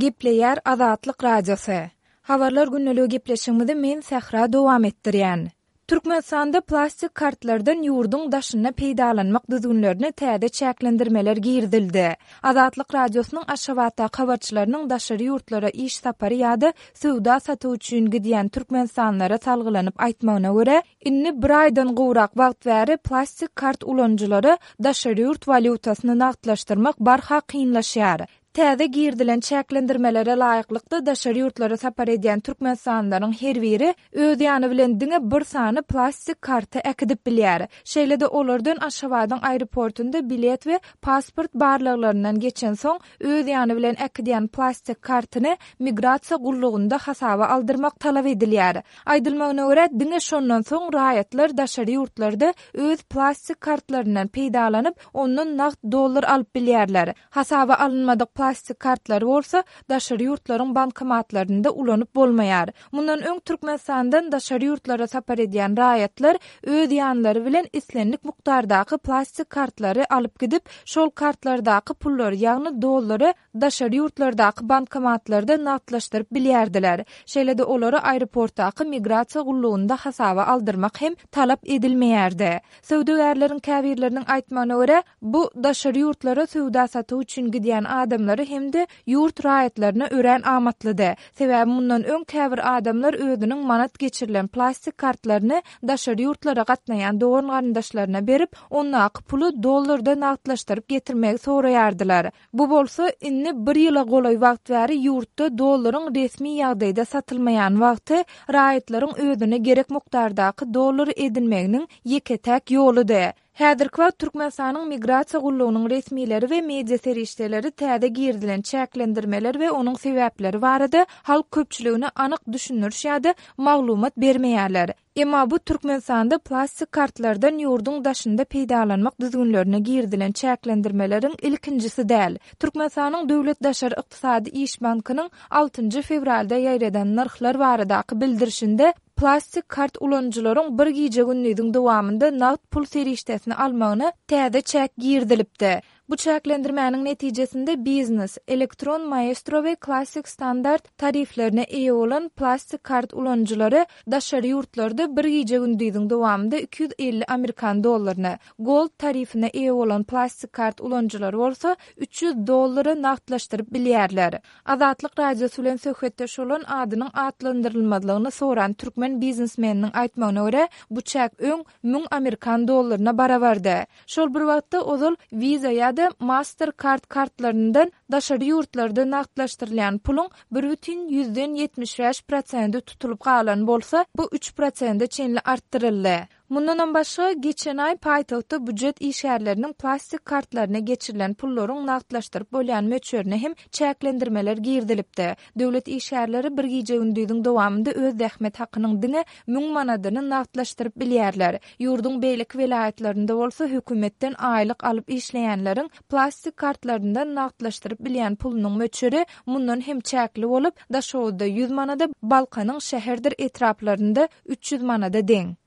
Gepleýär Azatlyk Radiosy. Habarlar gündeligi gepleşigimizi men Sähra dowam etdirýän. Türkmenistanda plastik kartlardan ýurduň daşynda peýdalanmak düzgünlerine täze çäklendirmeler girizildi. Azatlyk Radiosynyň Aşgabatdaky habarçylarynyň daşary ýurtlara iş sapary ýa-da söwda-satyk üçin gidýän türkmenistanlylara salgylanyp aýtmagyna görä, indi bir aýdan gowrak wagt bäri plastik kart ulanyjylara daşary ýurt walýutasyny nagtlaşdyrmak barha kynlaşýar. Täze girizilen çäklendirmelere laýyklykda, daşary ýurtlara sapar edýän türkmenistanlylaryň her biri öz ýany bilen diňe bir sany plastik karty äkidip bilýär. Şeýle-de olardan Aşgabadyň aeroportunda bilet we pasport barlaglaryndan geçensoň, öz ýany bilen äkidýän plastik kartyny migrasiýa gullugynda hasaba aldyrmak talap edilýär. Aýdylmagyna görä, diňe şondan soň raýatlar daşary ýurtlarda öz plastik kartlaryndan peýdalanyp, ondan nagt dollar alyp bilýärler. Hasaba alynmadyk plastik kartlary bolsa daşary ýurtlaryň bankomatlarynda ulanyp bolmaýar. Mundan öň Türkmenistandan daşary ýurtlara sapar edýän raýatlar öz ýanlary bilen islendik mukdardaky plastik kartlary alyp gidip, şol kartlardaky pullary, ýagny dollary daşary ýurtlardaky bankomatlarda nagtlaşdyryp bilýärdiler. Şeýle-de olary aeroportdaky migrasiýa gullugynda hasaba aldyrmak hem talap edilmeýärdi. Söwdagärleriň käbirleriniň aýtmagyna görä, bu daşary ýurtlara söwda-satyk üçin gidýän adamlara hem-de ýurt raýatlaryna örän amatlydy. Sebäbi mundan öň käbir adamlar özüniň manat geçirilen plastik kartlaryny daşary ýurtlara gatnaýan dogan-garyndaşlaryna berip, ondaky puly dollarda nagtlaşdyryp getirmegi soraýardylar. Bu bolsa, indi bir ýyla golaý wagt bäri ýurtda dollaryň resmi ýagdaýda satylmaýan wagty raýatlaryň özüne gerek mukdardaky dollary edinmeginiň ýeke-täk ýoludy. Häzirki wagt Türkmenistanyň Migrasiýa gullugynyň resmileri we media serişdeleri täze girizilen çäklendirmeler we onuň sebäpleri barada halk köpçüligine anyk düşündiriş ýa-da maglumat bermeýärler. Emma bu Türkmenistanda plastik kartlardan ýurduň daşynda peýdalanmak düzgünlerine girizilen çäklendirmeleriň ilkinjisi däl. Türkmenistanyň Döwlet daşary ykdysady iş bankynyň altynjy fewralda ýaýradan nyrhlar baradaky bildirişinde plastik kart ulanyjylaryň bir gije-gündiziň dowamynda nagt pul serişdesini almagyna täze çäk girizilipdi. Bu çäklendirmäniň netijesinde Biznes, Elektron Maestro we Classic Standard tariflerine eýe bolan plastik kart ulanyjylary daşary ýurtlarda bir gije-gündiziň dowamynda 250 amerikan dollaryny, Gold tarifine eýe bolan plastik kart ulanyjylary bolsa 300 dollary nagtlaşdyryp bilýärler. Azatlyk Radiosy bilen söhbetdeş bolan adynyň atlandyrylmazlygyny soran türkmen biznesmeniniň aýtmagyna görä, bu çäk öň 1000 amerikan dollaryna barabardy. Şol bir wagtda, ozal Visa ýa-da Mastercard kartlaryndan daşary ýurtlarda nagtlaşdyrylýan puluň bir bütin 75 prosenti tutulyp galan bolsa, bu üç prosente çenli artdyryldy. Mundanam başga, geçen aý paýtagtda býujet işgärleriniň plastik kartlaryna geçirilen pullaryň nagtlaşdyryp bolýan möçberine hem çäklendirmeler girizilipdi. Döwlet işgärleri bir gije-gündiziň dowamynda öz zähmet hakynyň diňe müň manadyny nagtlaşdyryp bilýärler. Ýurduň beýleki welaýatlarynda bolsa hökümetden aýlyk alyp işleýänleriň plastik kartlaryndan nagtlaşdyryp bilýän pulunyň möçberi mundan hem çäkli bolup, Daşoguzda ýüz manada, Balkanyň şäherdir etraplarynda 300 manada deň.